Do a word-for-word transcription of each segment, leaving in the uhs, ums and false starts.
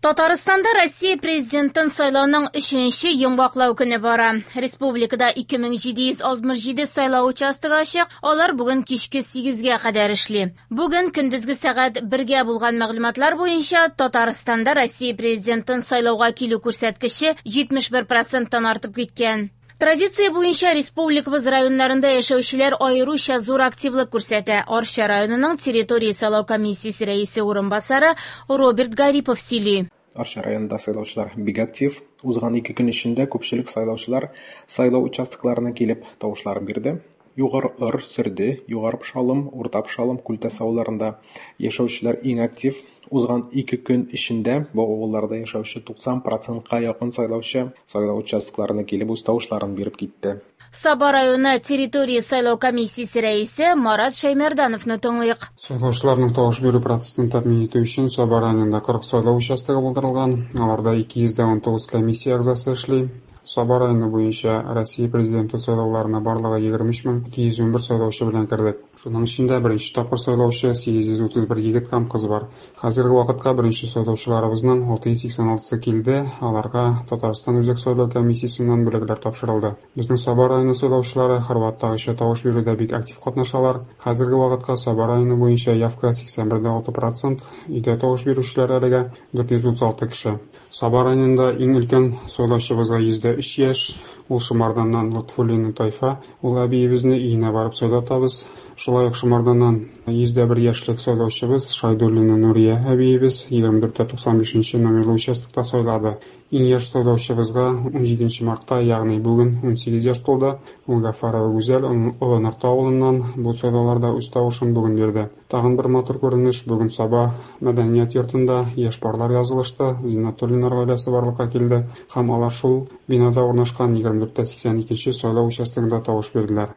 Татарстанда Россия президентын сайлауның өченче йомгаклау көне бара. Республикада ике мең җиде йөз алтмыш җиде сайлау участогы ачык, алар бүген кичке сигезгә кадәр эшли. Бүген көндезге сәгать бергә булган мәгълүматлар буенча Татарстанда Россия президентын сайлауга килү күрсәткече җитмеш бер проценттан артып киткән. Традиция буенча республикабыз районнарында яшәүчеләр аеруча зур активлык күрсәтә. Арча районының территория сайлау комиссиясе рәисе урынбасары Роберт Гарипов сөйли. Арча районында сайлаучылар бик актив. Узган ике көн эчендә күпчелек сайлаучылар сайлау участокларына килеп тавышларын бирде. Югары Ор, Сөрде, Югары Пошалым, Урта Пошалым, Күлтәс авылларында яшәүчеләр иң актив. Узган ике көн эчендә бу авылларда яшәүче туксан процентка якын сайлаучы сайлау участокларына килеп үз тавышларын биреп китте. Саба районы территория сайлау комиссиясе рәисе Марат Шәймәрдановны тыңлыйк. Сайлаучыларның тавыш бирү процессын тәэмин итү өчен Саба районында кырык сайлау участогы булдырылган. Аларда ике йөз дә ун тугыз комиссия әгъзасы эшли. Саба районы буенча Россия президенты сайлауларына барлыгы егерме өч мең ике йөз ун бер сайлаучы белән кердек. Шуның эчендә беренче тапкыр сайлаучы сигез йөз утыз бер егет һәм кыз бар. Хәзерге вакытка беренче сайлаучыларыбызның алты йөз сиксән алтысы килде. Аларга Татарстан Үзәк сайлау комиссиясеннән бүләкләр тапшырылды. Безнең Саба районы сайлаучылары һәрвакыттагыча тавыш бирүдә бик актив катнашалар. Хәзерге вакытка Саба районы буенча явка сиксән бер дә алты процент, өйдә тавыш бирүчеләр әлегә дүрт йөз утыз алты кеше. Саба районында иң өлкән сайлаучыбызга йөз дә өч яшь, ул Шымарданнан Лотфуллина Тайфа, ул әбиебезне өенә барып сайлатабыз. Шулай ук Шымарданнан йөз дә бер яшьлек сайлаучыбыз Шайдуллина Нурия әбиебез егерме дүрт тә туксан бишенче номерлы участокта сайлады. Иң яшь сайлаучыбызга ун җиденче мартта, ягъни бүген ун сигез яшь тулды. Ул Гафарова Гүзәл Олы Нырты авылыннан бу сайлауларда үз тавышын бүген бирде. Тагын бер матур күренеш: бүген Саба мәдәният йортында яшь парлар язылышты, Зиннатуллиннар гаиләсе барлыкка килде һәм алар шул бинада урнашкан егерме дүрт тә сиксән икенче сайлау участогында тавыш бирделәр.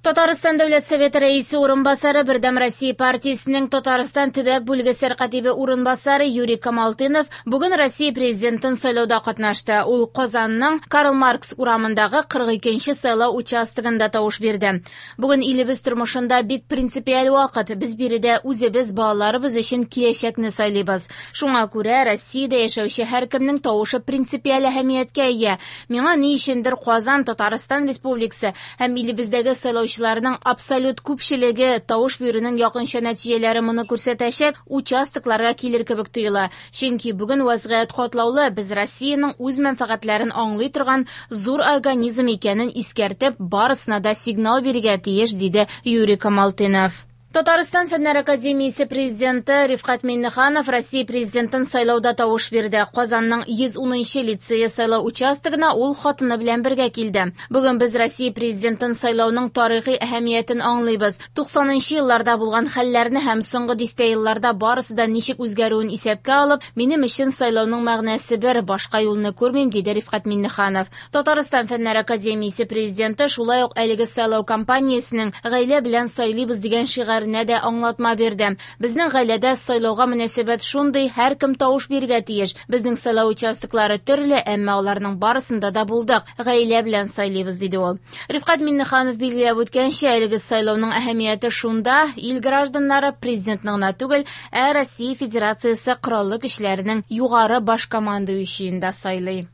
Татарстан Дәүләт Советы рәисе урынбасары, Бердәм Россия партиясенең Татарстан төбәк бүлеге сәркатибе урынбасары Юрий Камалтынов бүген Россия президентын сайлауда катнашты. Ул Казанның Карл Маркс урамындагы кырык икенче сайлау участогында тавыш бирде. Бүген илебез тормышында бик принципиаль вакыт. Без биредә үзебез, балаларыбыз өчен киләчәкне сайлыйбыз. Шуңа күрә Россиядә яшәүче һәркемнең тавышы принципиаль әһәмияткә ия. Миңа ни өчендер Казан, Татарстан Республикасы һәм илебездәге сайлаучыларның абсолют күпчелеге тавыш бирүнең якынча нәтиҗәләре моны күрсәтәчәк участокларга килер кебек тоела. Чөнки бүген вазгыять катлаулы, без Россиянең үз мәнфәгатьләрен аңлый торган зур организм икәнен искәртеп, барысына да сигнал бирергә тиеш, диде Юрий Камалтынов. Татарстан Фәннәр академиясе президенты Рифкать Миңнеханов Россия президентын сайлауда тавыш бирде. Казанның йөз унынчы лицее сайлау участогына ул хатыны белән бергә килде. Бүген без Россия президентын сайлауның тарихи әһәмиятен аңлыйбыз. Туксанынчы елларда булган хәлләрне һәм соңгы дистә елларда барысы да ничек үзгәрүен исәпкә алып, минем өчен сайлауның мәгънәсе бер, башка юлны күрмим, диде Рифкать Миңнеханов. Татарстан Фәннәр академиясе президенты шулай ук әлеге сайлау кампаниясенең гаилә белән сайлыйбыз дигән шигаренә дә аңлатма бирде. Безнең гаиләдә сайлауга мөнәсәбәт шундый, һәркем тавыш бирергә тиеш. Безнең сайлау участоклары төрле, әмма аларның барысында да булдык. Гаилә белән сайлыйбыз, диде ул. Рифкать Миңнеханов билгеләп үткәнчә, әлеге сайлауның әһәмияте шунда, ил гражданнары президентны гына түгел, ә Россия Федерациясе Кораллы Көчләренең югары баш командующийын да сайлый.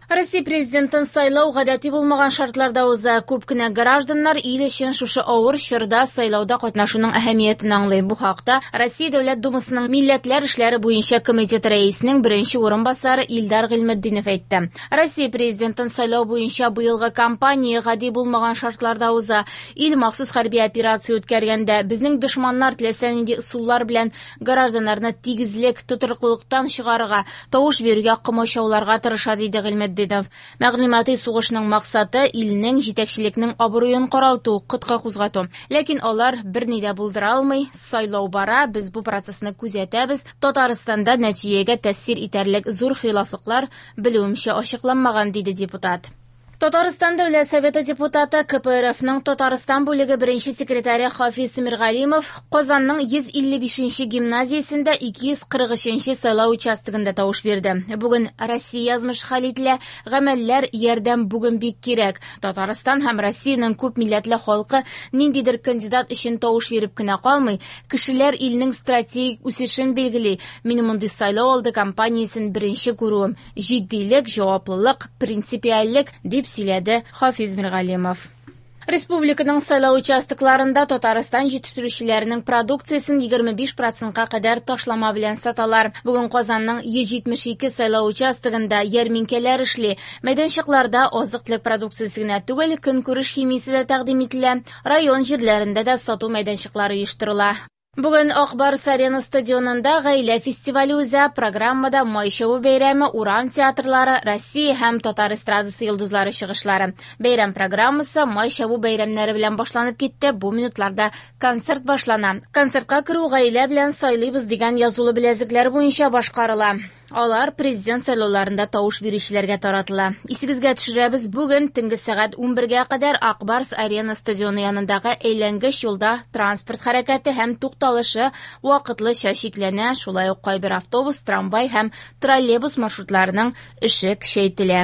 Россия президентын сайлау гадәти булмаган шартларда уза. Күп кенә гражданнар ил өчен шушы авыр чорда сайлауда катнашуның әһәмиятен аңлый. Бу хакта Россия Дәүләт Думасының Милләтләр эшләре буенча комитет рәисенең беренче урынбасары Илдар Гыйльметдинов әйтте. Россия президентын сайлау буенча быелгы кампания гади булмаган шартларда уза. Ил махсус хәрби операция үткәргәндә безнең дошманнар теләсә нинди ысуллар белән гражданнарны тигезлек, тотрыклылыктан чыгарырга, тавыш бирүгә комачауларга тырыша, диде Гыйльметдинов. Мәгълүмати сугышның максаты илнең җитәкчелекнең абруен каралту, котка кузгату. Ләкин алар берни дә булдыра алмый. Сайлау бара, без бу процессны күзәтәбез. Татарстанда нәтиҗәгә тәэсир итәрлек зур хилафлыклар белүемчә ачыкланмаган, диде депутат. Татарстан Дәүләт Советы депутаты, К П Р Фның Татарстан бүлеге беренче секретаре Хафиз Миргалимов Казанның йөз илле бишенче гимназиясендә ике йөз кырык өченче сайлау участогында тавыш бирде. Бүген Россия язмышы хәл ителә, гамәлләр, ярдәм бүген бик кирәк. Татарстан һәм Россиянең күп милләтле халкы ниндидер кандидат өчен тавыш биреп кенә калмый, кешеләр илнең стратегик үсешен билгели. Мин мондый сайлау алды кампаниясен беренче күрүем. Җитдилек, җаваплылык, принципиальлек, дип сөйләде Хафиз Миргалимов. Республиканың сайлау участокларында Татарстан җитештерүчеләренең продукциясен егерме биш процентка кадәр ташлама белән саталар. Бүген Казанның йөз җитмеш ике сайлау участогында ярминкәләр эшли. Мәйданчыкларда азык-төлек продукциясе генә түгел, көнкүреш химиясе дә тәкъдим ителә. Район җирләрендә дә сату мәйданчыклары оештырыла. Бүген Ак Барс Арена стадионында гаилә фестивале уза. Программада Май чабу бәйрәме, урам театрлары, Россия һәм татар эстрадасы йолдызлары чыгышлары. Бәйрәм программасы Май чабу бәйрәмнәре белән башланып китте. Бу минутларда концерт башлана. Концертка керү "Гаилә белән сайлыйбыз" дигән язулы беләзекләр буенча башкарыла. Алар президент сайлауларында тавыш бирүчеләргә таратыла. Исегезгә төшерәбез, бүген төнге сәгать унбергә кадәр Ак Барс Арена стадионы янындагы әйләнгеч юлда транспорт хәрәкәте һәм тукталышы вакытлыча чикләнә, шулай ук кайбер автобус, трамвай һәм троллейбус маршрутларының эше көчәйтелә.